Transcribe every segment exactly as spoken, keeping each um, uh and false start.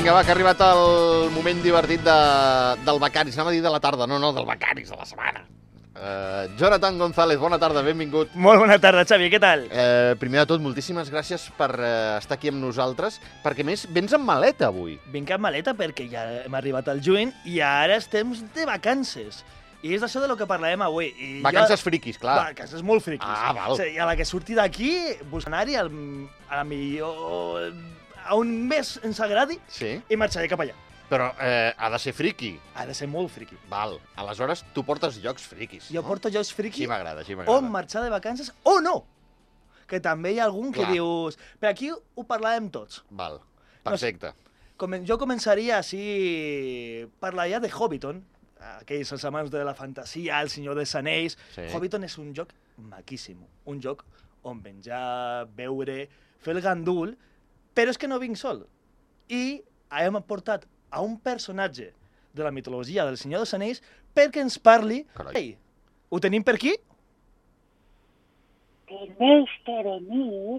Vinga, va, que ha arribat el moment divertit de, del Becaris. Anava a dir de la tarda, no, no, del Becaris, de la setmana. Uh, Jonathan González, bona tarda, benvingut. Molt bona tarda, Xavi, què tal? Uh, primer de tot, moltíssimes gràcies per uh, estar aquí amb nosaltres, perquè més vens amb maleta avui. Vinc amb maleta perquè ja hem arribat al juny i ara estem de vacances. I és d'això de lo que parlarem avui. I Vacances jo... friquis, clar. Vacances molt friquis. Ah, val. O sigui, a la que surti d'aquí, buscar anar-hi al... a la millor... a on més ens agradi Sí. i marxaré cap allà. Però eh, ha de ser friqui. Ha de ser molt friqui. Val. Aleshores, tu portes llocs friquis, Jo no? porto jocs friqui Sí, m'agrada, sí, on m'agrada. marxar de vacances o no. Que també hi ha algun que Clar. dius... Per aquí ho parlàvem tots. Val, perfecte. Comen- Jo començaria així parlar ja de Hobbiton, aquells els amants de la fantasia, el Senyor dels Anells. Sí. Hobbiton és un joc maquíssim, un joc on menjar, beure, fer el gandul, però és que no vinc sol. I hem portat a un personatge de la mitologia del Senyor dels Anells perquè ens parli... Carai. Ei, ho tenim per aquí? Tenéis que venir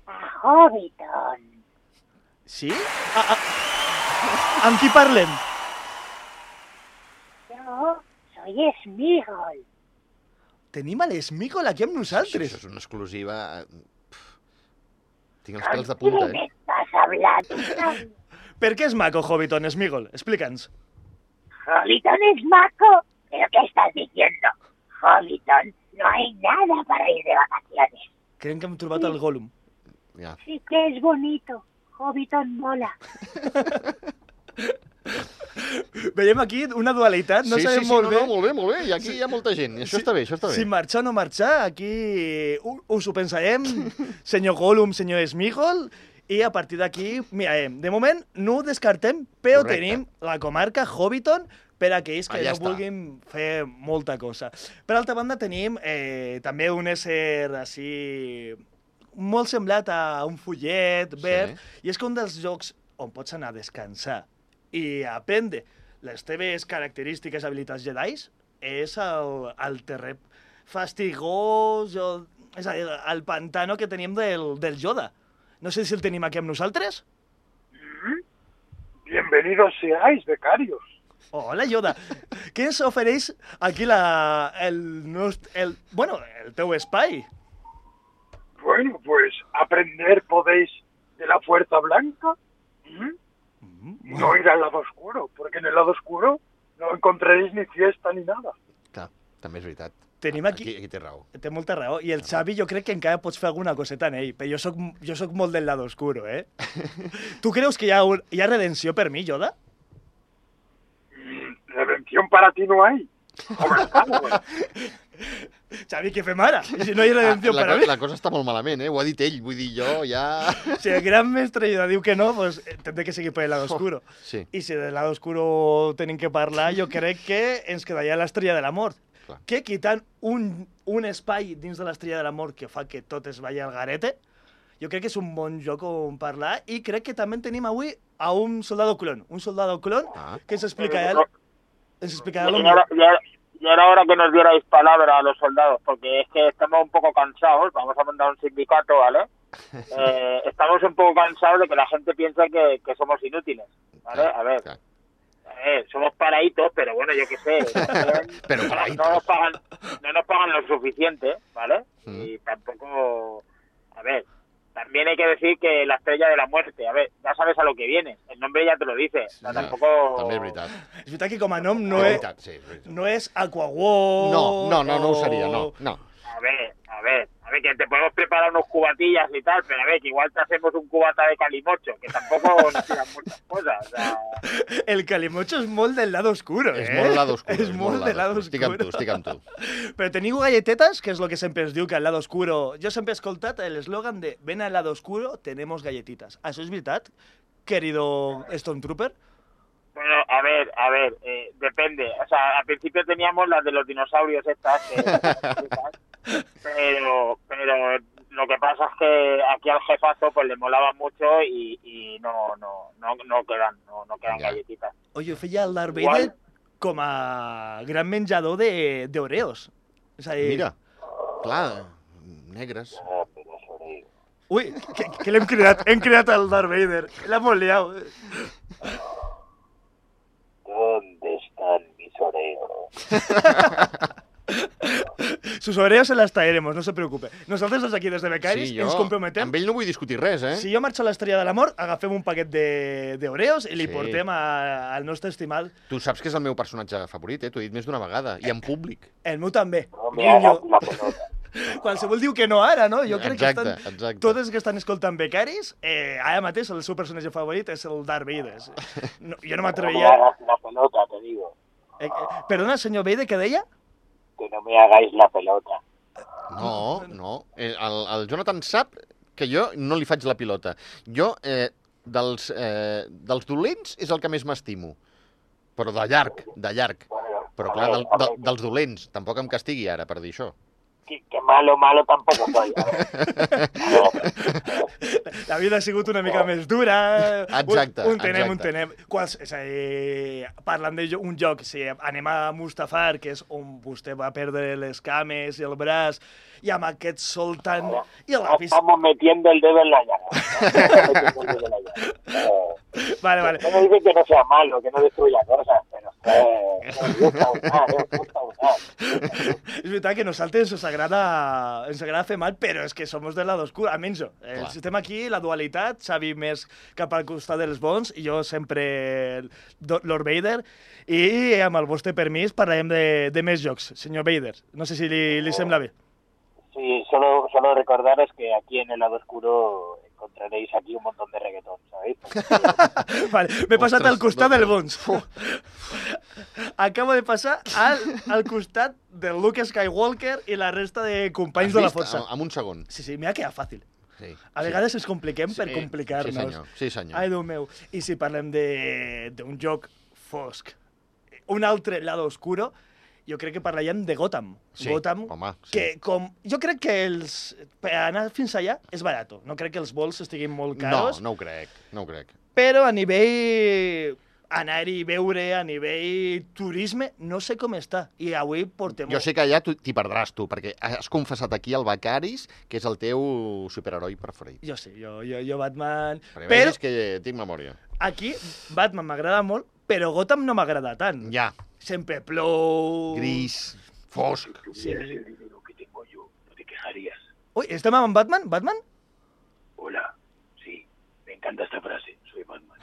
a Hobbiton. Sí? Ah, ah. Amb qui parlem? Yo soy Smigol. Tenim a l'Esmígol aquí amb Això, nosaltres. això és una exclusiva... Pff. Tinc els ¿Con pèls de punta, quién eh? estás hablando? Per què és maco Hobbiton, Smigol? Explica'ns. Hobbiton es maco. ¿Pero qué estás diciendo? Hobbiton, no hay nada para ir de vacaciones. Creen que hem trobat el Gollum. Ja. Sí que es bonito. Hobbiton mola. Veiem aquí una dualitat, no sí, sabem sí, sí, molt no, bé. no, molt bé, molt bé. I aquí hi ha molta gent. I això Sí. està bé, això està bé. Si marxar o no marxar, aquí u- us ho pensarem, senyor Gollum, senyor Smigol, i a partir d'aquí mirarem. De moment no ho descartem, però Correcte. tenim la comarca Hobbiton per a aquells que Allà no està. vulguin fer molta cosa. Per altra banda, tenim eh, també un ésser així molt semblat a un follet verd, i és que un dels jocs on pots anar a descansar i aprendre les teves característiques, habilitats jedais, és el, el terrer fastigós, o, és a dir, el pantano que tenim del, del Yoda. No sé si el tenim aquí amb nosaltres. Bienvenidos seáis, becarios. Hola, Yoda. Què ens ofereix aquí la, el, nost- el, bueno, el teu espai? Bueno, pues aprender podéis de la Fuerza Blanca. ¿Mm? No ir al lado oscuro, porque en el lado oscuro no encontraréis ni fiesta ni nada. Clar, també és veritat. Tenim aquí- Aquí, aquí té raó. Té molta raó. I el Xavi jo crec que encara pots fer alguna coseta en ell, però jo soc, jo soc molt del lado oscuro, eh? Tu creus que hi ha, un, hi ha redenció per mi, Yoda? Mm, Redención para ti no hay. Hombre, claro, güey. Xavi, què fem ara? Si no hi ha redenció Ah, la, per a co- mi. la cosa està molt malament, eh? Ho ha dit ell, vull dir, jo ja... Si el gran mestre Yoda diu que no, pues eh, tendré que seguir per el lado oscuro. Sí. I si del lado oscuro tenim que parlar, jo crec que ens quedaria l'estrella de la mort. Clar. Que quitant un, un espai dins de l'estrella de la mort que fa que tot es vagi al garete, jo crec que és un bon joc on parlar i crec que també tenim avui a un soldado clon. Un soldado clon Ah. que ens explicarà, ens explicarà lo Y era, millor. y era- y era hora que nos dierais palabra a los soldados, porque es que estamos un poco cansados, vamos a mandar un sindicato, ¿vale? Eh, estamos un poco cansados de que la gente piense que, que somos inútiles, ¿vale? Claro, A ver, claro. a ver, somos paraditos, pero bueno, yo qué sé. también Pero no- paraditos. No nos pagan, no nos pagan lo suficiente, ¿vale? Mm. Y tampoco, a ver, también hay que decir que la estrella de la muerte, a ver, ya sabes a lo que viene, el nombre ya te lo dice, o sea, Ja, tampoco... També és veritat. És veritat que com a nom no és és, veritat, sí, és veritat. no és Aquawar. No, no, no, no ho seria, no, no. A ver, a ver, a ver, que te podemos preparar unos cubatillas y tal, pero a ver, que igual te hacemos un cubata de calimocho, que tampoco nos tiran muchas cosas, o sea... El calimocho és molt del lado oscuro, eh? És molt lado oscuro. És molt del lado Estic amb tu, oscuro. estic amb tu. Però teniu galletetes, que és el que sempre es diu que al lado oscuro... Jo sempre he escoltat l'eslògan de ven al lado oscuro, tenemos galletitas. Això és veritat, querido Stormtrooper? Bueno, a ver, a ver, eh, depende. O sea, al principio teníamos las de los dinosaurios estas, que, pero, pero lo que pasa es que aquí al jefazo pues le molaba mucho y, y no, no, no, no quedan, no, no quedan Ya. galletitas. Oye, feia el Darth Igual. Vader com a gran menjador de- d'Oreos. És a dir, Mira, clar, negres. Ui, que, que l'hem cridat, hem cridat el Darth Vader. L'ha molt liat. ¿Dónde están mis oreos? Sus oreos se las traeremos, no se preocupe. Nosaltres des d'aquí, des de Becaris, Sí, jo ens comprometem. amb ell no vull discutir res, eh? Si jo marxo a l'Estrella de l'Amor, agafem un paquet de- d'oreos i li Sí. portem a- al nostre estimat. Tu saps que és el meu personatge favorit, eh? T'ho he dit més d'una vegada, i en públic. El meu també. No me hagas Guinyo. la pelota. Qualsevol diu que no ara, no? Jo crec que Exacte, estan... exacte. Totes que estan escoltant Becaris, eh, ara mateix el seu personatge favorit és el Darth Vader. No, jo no No me m'atreviria... hagas la pelota, te digo. Eh, eh, perdona, senyor Vader, què deia? Que no me hagáis la pelota. No, no. Eh, El, el Jonathan sap que jo no li faig la pilota. Jo, eh, dels, eh, dels dolents, és el que més m'estimo. Però de llarg, de llarg. Bueno, Però a clar, ver, del, a de, ver, dels dolents. Tampoc em castigui ara per dir això. que, que malo, malo tampoco soy. La vida ha sigut una mica més dura. Exacte, Un, un tenem, exacte. un tenem. Quals, és a dir, parlant d'un joc, si anem a Mustafar, que és on vostè va perdre les cames i el braç, i amb aquest sol tan... I el lápiz... Estamos metiendo el dedo en la llaga. Estamos metiendo el dedo en la llaga. Eh, Vale, vale. No me dice que no sea malo, que no destruya cosas, pero eh, nos gusta usar, nos gusta usar. És veritat que nosaltres ens agrada, ens agrada fer mal, però és que som de lado oscur, almenys jo. El Clar. sistema aquí, la dualitat, Xavi més cap al costat dels bons, i jo sempre do- Lord Vader, i amb el vostre permís parlarem de, de més jocs. Senyor Vader, no sé si li, li sembla bé. Sí, solo, solo recordaros que aquí en el lado oscuro encontraréis aquí un montón de reggaetón, ¿sabéis? Vale, m'he passat Ostres, al costat no, del no. bons. Acabo de passar al, al costat del Luke Skywalker i la resta de companys Has de la vist? força. Amb un segon. Sí, sí, m'ha quedat fàcil. Sí, A sí. vegades ens compliquem per Sí, complicar-nos. Sí, senyor. Sí, senyor. Ai, Déu meu. I si parlem de- d'un joc fosc, un altre lado oscuro, jo crec que parlaríem de Gotham. Sí, Gotham, home, sí. que com... Jo crec que els... Per anar fins allà és barato. No crec que els vols estiguin molt No, caros, no ho crec, no ho crec. però a nivell anar-hi i veure, a nivell turisme, no sé com està. I avui portem... Jo sé que allà tu- t'hi perdràs tu, perquè has confessat aquí el Becaris, que és el teu superheroi preferit. Jo sé, jo, jo, jo Batman... Perquè Però vegis que tinc memòria. aquí Batman m'agrada molt, però Gotham no m'agrada tant. Ja, Sempre plou... gris, fosc. Sí. el dinero que tengo yo, no te quejarías. Ui, estem amb Batman? Batman? Hola, sí, me encanta esta frase, soy Batman.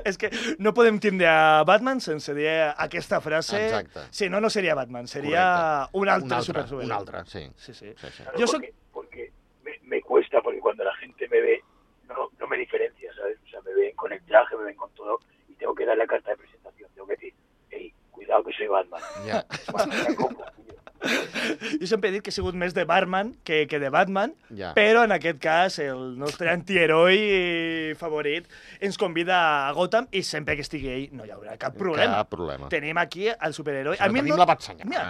És que no podem tindre a Batman sense dir aquesta frase. Exacte. Si no, no seria Batman, seria Correcte. un altre Un altre, superhéroe. un altre, sí. Sí, sí. sí, sí. Claro, Yo soy- porque, porque me, me cuesta, porque cuando la gente me ve, no, no me diferencia, ¿sabes? O sea, me ven con el traje, me ven con todo, y tengo que dar la carta de presentación. Tengo que decir, hey, cuidado que soy Batman. Ja. Bueno, me compro, tío. Jo sempre he dit que he sigut més de Batman que, que de Batman, Ja. però en aquest cas el nostre antiheroi favorit ens convida a Gotham i sempre que estigui ell no hi haurà cap problema. Cap problema. Tenim aquí el superheroi. Però tenim la batsenyal. Mira,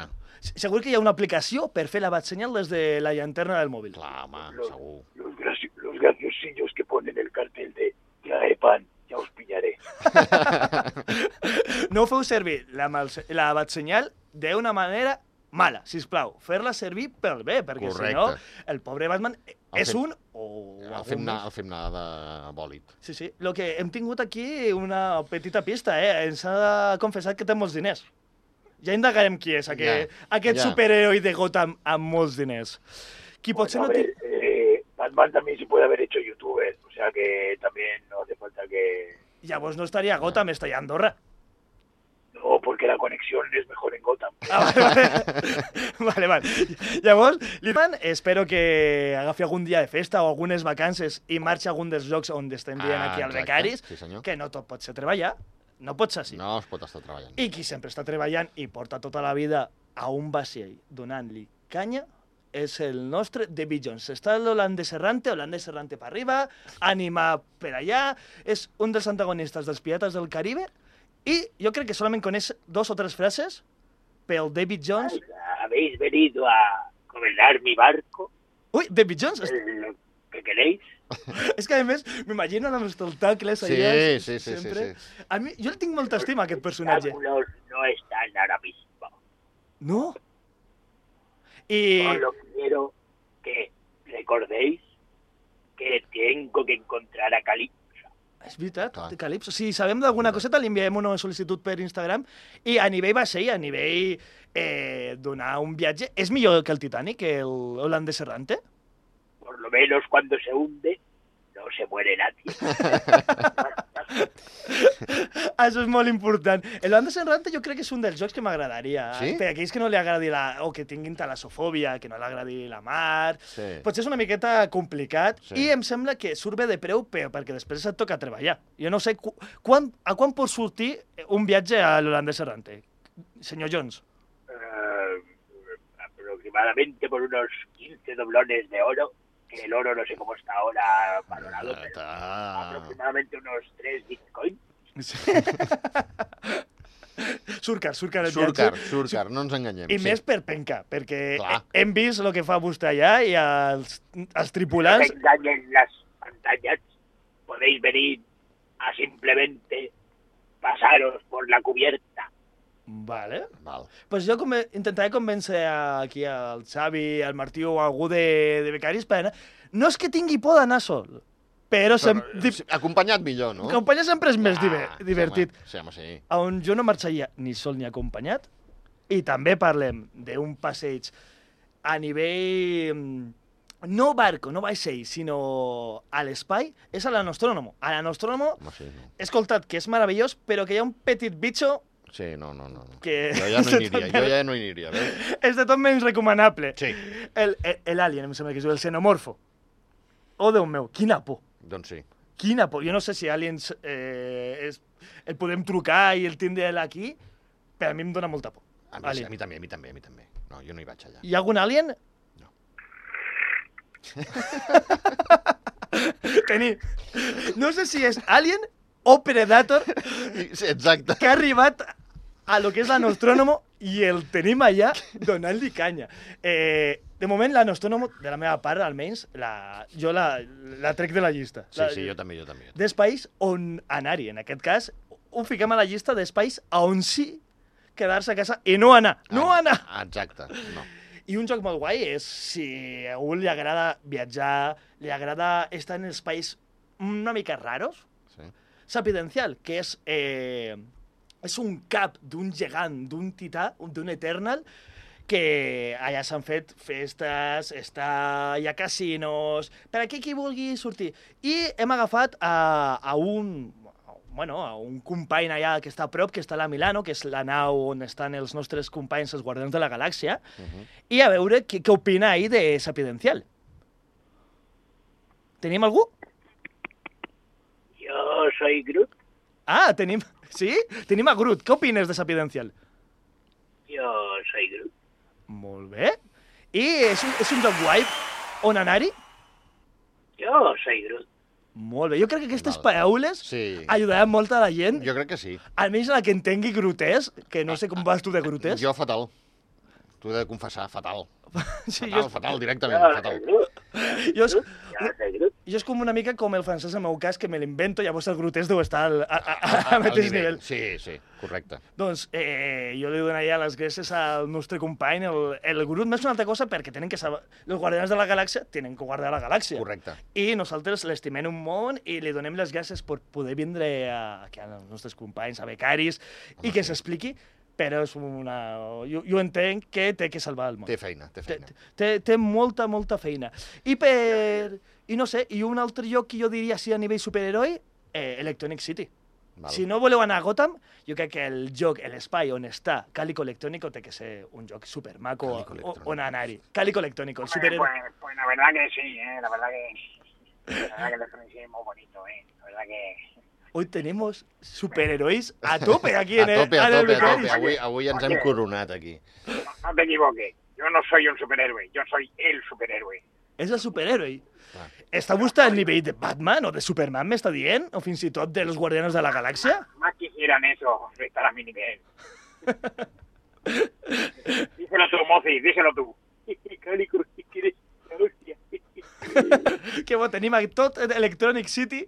segur que hi ha una aplicació per fer la batsenyal des de la llanterna del mòbil. Clar, home, Los, segur. los, graci- los graciosillos que ponen el cartel de trae pan, ya os pillaré. No feu servir la, mal- la batsenyal d'una manera mala, sisplau. Fer-la servir pel bé, perquè si no, Correcte. el pobre Batman El és fem- un o El algun fem, anar, més. el fem anar de bòlit. Sí, sí. Lo que hem tingut aquí una petita pista, eh? Ens ha confessat que té molts diners. Ja indagarem qui és aquest, Ja, aquest ja. superheroi de Gotham amb molts diners. Qui potser Bueno, no a té... ver, eh, Batman también se puede haver hecho youtuber, o sea que también no hace falta que... Llavors no estaria a Gotham, estaria a Andorra. No, porque la conexión es mejor en Gotham. Ah, vale, vale. vale, vale. Llavors, Litman, espero que agafi algun dia de festa o algunes vacances i marxi a algun dels llocs on estem dient Ah, aquí al exacte. Becaris, Sí, senyor. que no tot pot ser treballar, no pot ser així. No es pot estar treballant. I qui sempre està treballant i porta tota la vida a un vaixell donant-li canya és el nostre David Jones. Està l'holandès errante, holandès errante per arriba, ànima per allà, és un dels antagonistes dels Pirates del Caribe i jo crec que solament coneix dos o tres frases pel David Jones. ¿Habéis venido a gobernar mi barco? Ui, David Jones! És, ¿Lo que queréis? és que, a més, m'imagino amb els tentacles Sí, allà. sí, sí, sempre. sí, A mi, jo el tinc molta estima, aquest personatge. Tentáculos no están ahora mismo. No? I... Solo quiero que recordéis que tengo que encontrar a Calypso. És veritat, Clar. Calypso. Si sabem d'alguna coseta, li enviem una sol·licitud per Instagram. I a nivell vaixell, a nivell eh, donar un viatge, és millor que el Titanic, que el holandès errante? Por lo menos cuando se hunde, no se muere nadie. Això és molt important. El holandès errante jo crec que és un dels jocs que m'agradaria. Sí? Per a aquells que no li agradi la... o que tinguin talassofòbia, que no li agradi la mar... Sí. Potser és una miqueta complicat Sí. i em sembla que surt bé de preu però perquè després et toca treballar. Jo no sé cu quan, a quan pot sortir un viatge a l'holandès errante, senyor Jones. Eh, aproximadamente por unos quince doblones de oro, que el oro no sé cómo está ahora valorado, pero Ah, aproximadamente unos tres bitcoins. Surcar, surcar el Surcar, viatge. surcar, no ens enganyem. I sí. més per penca, perquè Clar. hem vist el que fa vostè allà i els, els No tripulants... se engañen las pantallas, podéis venir a simplemente pasaros por la cubierta. Vale. Val. Pues jo conven intentaré convèncer aquí al Xavi, al Martí o algú de, de becaris per anar... No és que tingui por d'anar sol, però... Sem... Però, sí, acompanyat millor, no? Acompanyar sempre és més diver Ah, divertit. Sí, home, sí. On jo no marxaria ni sol ni acompanyat, i també parlem d'un passeig a nivell... mm, no barco, no vaixell, sinó a l'espai, és a la Nostromo. A la Nostromo Home, sí, no. he escoltat que és meravellós, però que hi ha un petit bitxo Sí, no, no, no. no. que... Jo ja no hi aniria, jo ja no hi aniria, veus? és de tot menys recomanable. Sí. El, el, el alien, em sembla que es diu, el xenomorfo. Oh, Déu meu, quina por. Doncs sí. Quina por. Jo no sé si aliens eh, és, el podem trucar i el tindre aquí, però a mi em dóna molta por. A mi, sí, Alien. a mi també, a mi també, a mi també. No, jo no hi vaig allà. Hi ha algun alien? No. Teni... No sé si és alien o Predator Sí, exacte. que ha arribat a lo que és la Nostromo i el tenim allà donant-li canya. Eh, de moment, la Nostromo, de la meva part, almenys, la, jo la, la trec de la llista. Sí, La- sí, jo també, jo també. D'espais on anar-hi. En aquest cas, ho fiquem a la llista d'espais a on sí quedar-se a casa i no anar. No Ah, anar! Exacte, no. I un joc molt guai és si a algú li agrada viatjar, li agrada estar en espais una mica raros, Sí. Sapidencial, que és, eh, és un cap d'un gegant, d'un tità, d'un Eternal, que allà s'han fet festes, està, hi ha casinos, per aquí qui vulgui sortir. I hem agafat a, a un bueno, a un company allà que està a prop, que està a la Milano, que és la nau on estan els nostres companys, els Guardians de la Galàxia, Uh -huh. i a veure què, què opina ahir de Sapidencial. Tenim algú? Yo soy Groot. Ah, tenim... Sí? Tenim a Groot. Què opines de Sapidencial? Yo soy Groot. Molt bé. I és un, és un joc guai on anar-hi? Yo soy Groot. Molt bé. Jo crec que aquestes Val. paraules Sí. ajudaran molt a la gent, Jo crec que sí. almenys a la que entengui grotesc, que no sé com vas tu de grotesc. Jo fatal. T'ho he de confessar, fatal. sí, Fatal, jo, fatal, directament, Yo fatal. soy Groot. jo, és, Yo soy Groot. jo és com una mica com el francès en el meu cas, que me l'invento, llavors el grotesc deu estar al, a, a, a, al mateix nivell. Sí, sí, correcte. Doncs eh, jo li donaria les gràcies al nostre company, el, el Groot, més una altra cosa, perquè tenen que saber... Els Guardians de la Galàxia tenen que guardar la galàxia. Correcte. I nosaltres l'estimem un món i li donem les gràcies per poder vindre a, aquí als nostres companys, a becaris, Home, i que sí. s'expliqui, però és una... Jo, jo entenc que té que salvar el món. Té feina, té Té, feina. té, té molta, molta feina. I per... I no sé, i un altre lloc que jo diria sí a nivell superheroi, eh, Electronic City. Val. Si no voleu anar a Gotham, jo crec que el joc, l'espai on està Cálico Electrónico té que ser un joc supermaco Cálico o- Electrónico. on anar-hi. Cálico Electrónico, el Pues, superhéroe. pues, pues la verdad que sí, ¿eh? La verdad que... La verdad que el Electronic City es muy bonito, ¿eh? La verdad que... Hoy tenemos superherois a tope aquí en A el, tope, a en el tope, a tope. Becaris. Avui, avui ens hem coronat aquí. No, no te equivoques. Yo no soy un superhéroe, yo soy el superhéroe. És el superhéroe. Clar. Està vostè al nivell de Batman o de Superman, m'està dient? O fins i tot de los Guardianes de la Galàxia? Más quisieran eso, estar a mi nivel. Díselo tú, Mozi, díselo tú. Cálico, si quieres la hostia. Que bo, tenim a tot Electronic City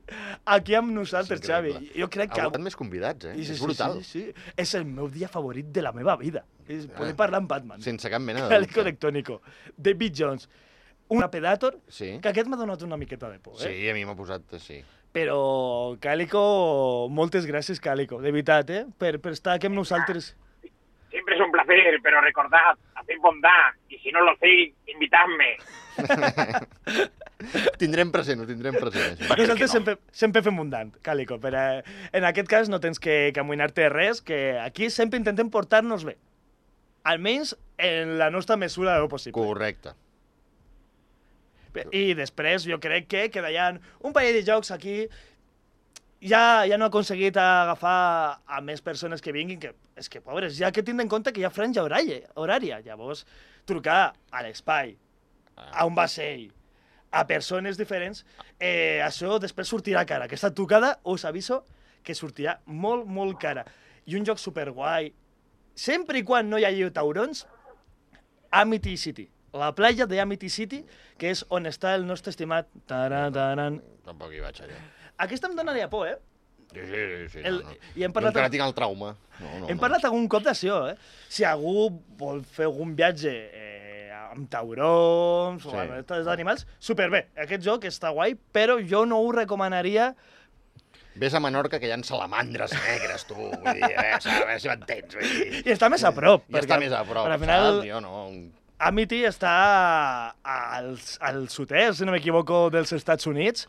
aquí amb nosaltres, És Xavi. increïble. Jo crec que... Ha hagut més convidats, eh? Sí, sí, És brutal. Sí, sí, sí. És el meu dia favorit de la meva vida. És poder Ah. parlar amb Batman. Sense cap mena de Cálico dubte. Electrónico. David Jones. un Predator, Sí. que aquest m'ha donat una miqueta de por, eh? Sí, a mi m'ha posat... Sí. Però, Cálico, moltes gràcies, Cálico, de veritat, eh? Per, per estar aquí amb nosaltres. Siempre es un placer, pero recordad, haced bondad, y si no lo hacéis, invitadme. Tindrem present, ho tindrem present. Això. Nosaltres sempre, sempre fem mundant, Cálico, però eh, en aquest cas no tens que, que amoïnar-te res, que aquí sempre intentem portar-nos bé. Almenys en la nostra mesura de lo possible. Correcte. I després jo crec que quedaran un parell de jocs aquí. Ja, ja no he aconseguit agafar a més persones que vinguin, que és que, pobres, ja que tindre en compte que hi ha franja horària. horària. Llavors, trucar a l'espai, a un vaixell, a persones diferents, eh, això després sortirà cara. Aquesta trucada, us aviso, que sortirà molt, molt cara. I un joc superguai, sempre i quan no hi hagi taurons, Amity City. La platja de Amity City, que és on està el nostre estimat... Taran, taran. Tampoc hi vaig allà. Aquesta em donaria por, eh? Sí, sí, sí. El, no, no. I hem parlat... Jo encara tinc el trauma. No, no, Hem no. parlat algun cop d'això, eh? Si algú vol fer algun viatge eh, amb taurons Sí. o amb aquests animals, superbé. Aquest joc està guai, però jo no ho recomanaria. Ves a Menorca, que hi ha salamandres negres, tu. Vull dir, a veure, a veure si m'entens. Vull dir. I està més a prop. I està més a prop, Al final, saps? Jo no... Amity està al, al sud-est, si no m'equivoco, dels Estats Units.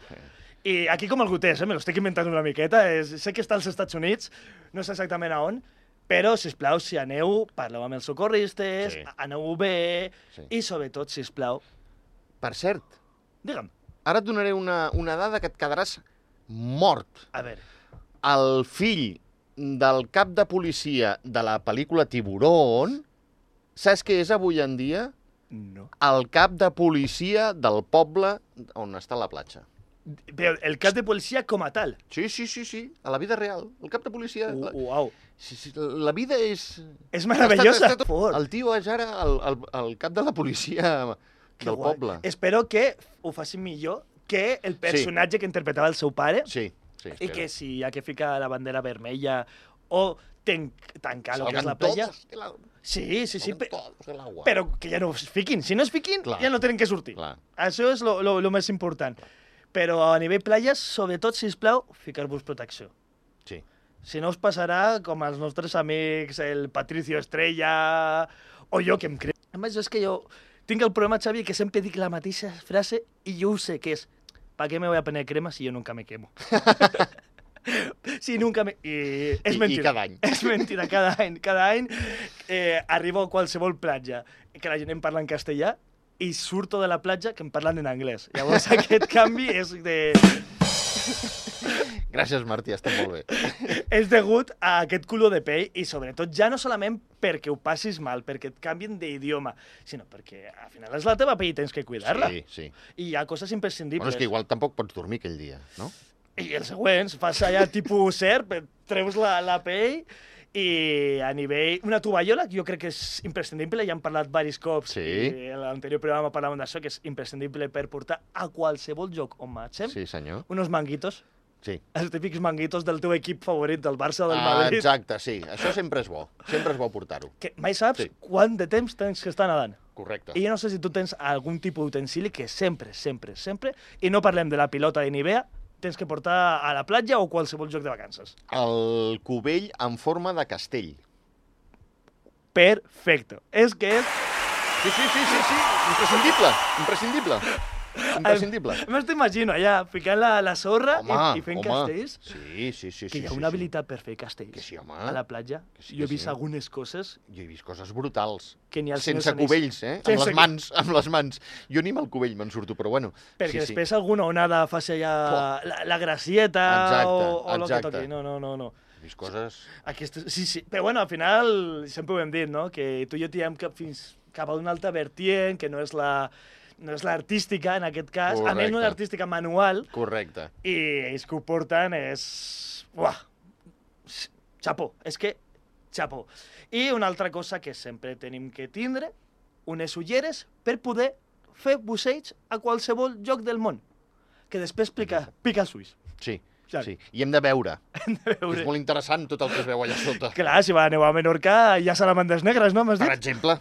I aquí com el Gutés, eh? Me l'estic inventant una miqueta. És, sé que està als Estats Units, no sé exactament a on, però, sisplau, si aneu, parleu amb els socorristes, Sí. aneu bé, Sí. i sobretot, sisplau, Per cert, digue'm, ara et donaré una, una dada que et quedaràs mort. a veure, El fill del cap de policia de la pel·lícula Tiburón, saps què és avui en dia? no. El cap de policia del poble on està la platja. Però el cap de policia com a tal. Sí, sí, sí, sí, a la vida real. El cap de policia... La, Uau. sí, sí, la vida és... És meravellosa. Ha estat- ha estat- Fort. El tio és ara el, el, el cap de la policia Que del guai. poble. Espero que ho faci millor que el personatge que interpretava el seu pare, Sí, sí. i que si hi ha que ficar la bandera vermella o ten tancar el que és Salgan la playa... todos de la- Sí, sí, sí, salgan pe- todos del agua. però que ja no es fiquin. Si no es fiquin, Clar. ja no tenen que sortir. Clar. Això és lo, lo, lo més important. Però a nivell platges, sobretot, sisplau, ficar-vos protecció. Sí. Si no us passarà com als nostres amics, el Patricio Estrella, o jo, que em crec. A més, és que jo tinc el problema, Xavi, que sempre dic la mateixa frase i jo ho sé, que és ¿para qué me voy a poner crema si yo nunca me quemo? Si nunca me... I és I- i mentira. cada any. És mentira, cada any. Cada any eh, arribo a qualsevol platja que la gent em parla en castellà i surto de la platja que em parlen en anglès. Llavors aquest canvi és de... Gràcies, Martí, està molt bé. és degut a aquest color de pell i sobretot ja no solament perquè ho passis mal, perquè et canvien d'idioma, sinó perquè al final és la teva pell i tens que cuidar-la. Sí, sí. I hi ha coses imprescindibles. Bueno, és que igual tampoc pots dormir aquell dia, no? I els següents, fas allà tipus serp, treus la, la pell i a nivell... Una tovallola, que jo crec que és imprescindible, ja hem parlat diversos cops, Sí. i en l'anterior programa parlàvem d'això, que és imprescindible per portar a qualsevol lloc on marxem, Sí, senyor. unos manguitos, Sí. els típics manguitos del teu equip favorit, del Barça o del Ah, Madrid, exacte, sí. Això sempre és bo. Sempre és bo portar-ho. que mai saps Sí. quant de temps tens que estar nedant. Correcte. I jo no sé si tu tens algun tipus d'utensili que sempre, sempre, sempre, i no parlem de la pilota de Nivea, tens que portar a la platja o qualsevol lloc de vacances. El cubell en forma de castell. Perfecto. És que és... Sí, sí, sí, sí, sí. Imprescindible. Imprescindible. Imprescindible. M'ho imagino allà, ficant la, la sorra Home, i, i fent home. castells. Sí, sí, sí. Que sí, hi ha sí, una sí. habilitat per fer castells Que sí, home. a la platja. Que sí, Jo he que vist sí. algunes coses Jo he vist coses brutals. que ni al Senyor Sense dels Anells- cubells, eh? Amb Sense les cu- mans, amb les mans. Jo ni amb el cubell me'n surto, però bueno. Perquè sí, després alguna onada faci allà la, la gracieta Exacte, o, o el que exacte. toqui. No, no, no, no. He vist coses... Aquestes, sí, sí. Però bueno, al final sempre ho hem dit, no? Que tu i jo tirem cap, fins cap a una altra vertient, que no és la no és l'artística, en aquest cas. A més, no Correcte. és l'artística manual. Correcte. I ells que ho porten és... Uah! Xapó. És que... Xapó. I una altra cosa que sempre tenim que tindre, unes ulleres per poder fer busseig a qualsevol lloc del món. Que després pica, pica el suís. Sí, Ja. sí. I hem de veure. Hem de veure. És molt interessant tot el que es veu allà sota. Clar, si va aneu a Menorca, hi ha salamandres negres, no? M'has Per dit? exemple,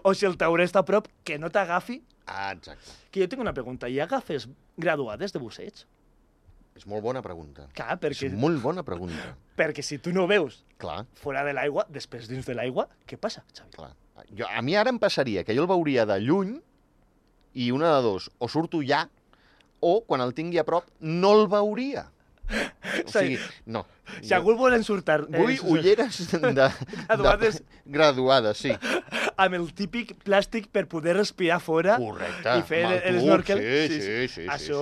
O si el tauler està a prop, que no t'agafi. Ah, exacte. Que jo tinc una pregunta. Hi ha agafes graduades de busseig? És molt bona pregunta. Clar, perquè, És molt bona pregunta. perquè si tu no veus Clar, fora de l'aigua, després dins de l'aigua, què passa, Xavi? clar. Jo, a mi ara em passaria que jo el veuria de lluny i una de dos, o surto ja, o quan el tingui a prop no el veuria. O sigui, no. Si algú el vol ensurtar... Vull eh, ulleres de, Graduades. de, graduades, sí. amb el típic plàstic per poder respirar fora Correcte. i fer Amb el, el el tub, snorkel. sí, sí, sí, sí, Això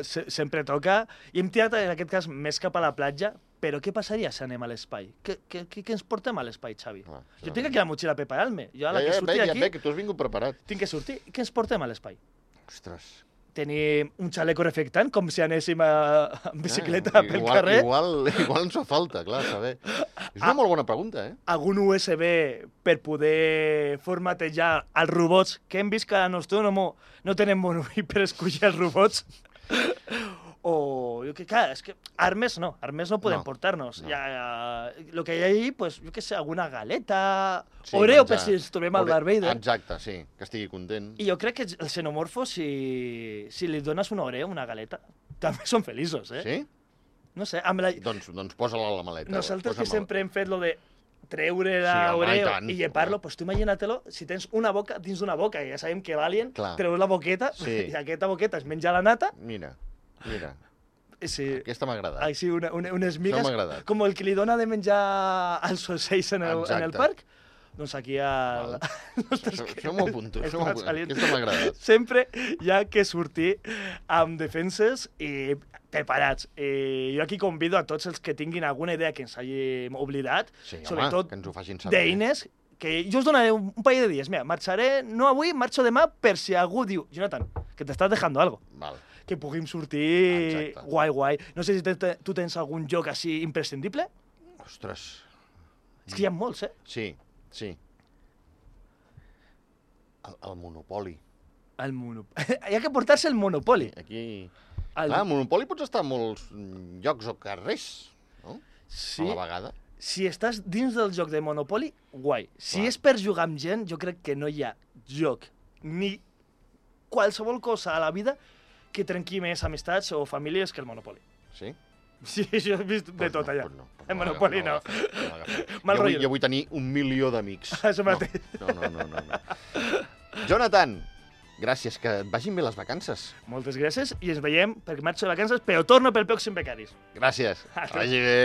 sí, se- sempre toca. I hem tirat, en aquest cas, més cap a la platja, però què passaria si anem a l'espai? Què, què, què, què ens portem a l'espai, Xavi? Ah, Jo això- tinc aquí la motxilla per preparar-me. Jo, a la Ja, que ja, surti ve, ja d'aquí, ve, que tu has vingut preparat. tinc que sortir. Què ens portem a l'espai? Ostres. Tenim un xaleco reflectant, com si anéssim a, en bicicleta Ah, pel igual, carrer. Igual, igual ens fa falta, clar, saber. És una Ah. molt bona pregunta, eh? Algun U S B per poder formatejar els robots, que hem vist que a Nostromo no tenen bon ull per escollir els robots. O, jo que, clar, és que armes no, armes no podem No, portar-nos. no. Ja, ja, lo que hi ha ahí, pues, jo que sé, alguna galeta, Sí, Oreo, per menjar. si ens trobem al Ore- Darth Vader. Exacte, sí, que estigui content. I jo crec que el xenomorfo, si, si li dones un Oreo, una galeta, també són feliços, eh? Sí? No sé, amb la... Doncs, doncs posa-la a la maleta. Nosaltres que posa-me-la. sempre hem fet lo de treure Sí, la home, i Oreo tant. i llepar-lo, pues tu imagina-te-lo, si tens una boca dins d'una boca, i ja sabem que l'alien, Clar. treus la boqueta, Sí. i aquesta boqueta es menja la nata, Mira, mira, i sí, aquesta m'ha agradat. així una, una, unes Això migues, m'ha agradat. com el que li dona de menjar als ocells en el, en el Exacte. parc, doncs aquí al... Això, això m'ho apunto, això m'ho Està apunto. salient. Aquesta m'ha agradat. Sempre hi ha que sortir amb defenses i preparats. I jo aquí convido a tots els que tinguin alguna idea que ens hàgim oblidat, Sí, home, sobretot que ens ho facin saber. d'eines, que jo us donaré un, un parell de dies. Mira, marxaré, no avui, marxo demà, per si algú diu, Jonathan, que t'estàs dejando algo, Val. que puguem sortir Exacte. guai, guai. No sé si te, te, tu tens algun joc així imprescindible. Ostres. És que hi ha molts, eh? Sí, sí. El, el Monopoli. El monopoli. Hi ha que portar-se el monopoli. Aquí... El... Clar, el Monopoli pots estar a molts mm, llocs o carrers, no? Sí. A la vegada. Si estàs dins del joc de Monopoly, guai. Si Clar. és per jugar amb gent, jo crec que no hi ha joc ni qualsevol cosa a la vida que trenqui més amistats o famílies que el Monopoly. Sí? Sí, jo he vist de Pues tot no, allà. pues no, pues En no Monopoly no. l'agafo, no l'agafo. Mal jo, vull, rotllo. jo vull tenir un milió d'amics. Això mateix. No, no, no, no, no. Jonathan, gràcies, que et vagin bé les vacances. Moltes gràcies i ens veiem perquè marxo de vacances, però torno pel pròxim Becaris. Gràcies. Adéu. Que vagi bé.